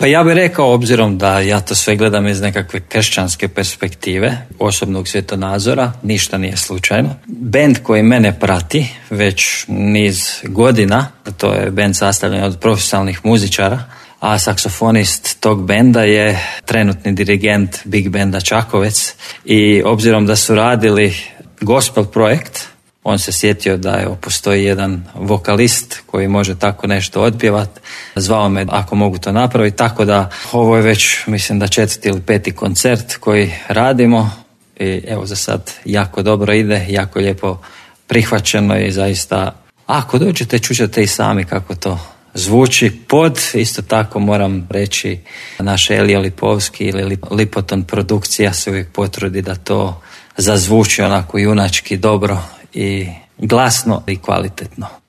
Pa ja bih rekao, obzirom da ja to sve gledam iz nekakve kršćanske perspektive, osobnog svjetonazora, ništa nije slučajno. Bend koji mene prati već niz godina, to je bend sastavljen od profesionalnih muzičara, a saksofonist tog benda je trenutni dirigent Big Benda Čakovec i obzirom da su radili gospel projekt, on se sjetio da postoji jedan vokalist koji može tako nešto otpjevati. Zvao me ako mogu to napraviti, tako da ovo je već, mislim da 4. ili 5. koncert koji radimo i evo za sad jako dobro ide, jako lijepo prihvaćeno i zaista ako dođete čućete i sami kako to zvuči. Isto tako moram reći, naš Elija Lipovski ili Lipoton produkcija se uvijek potrudi da to zazvuči onako junački dobro i glasno i kvalitetno.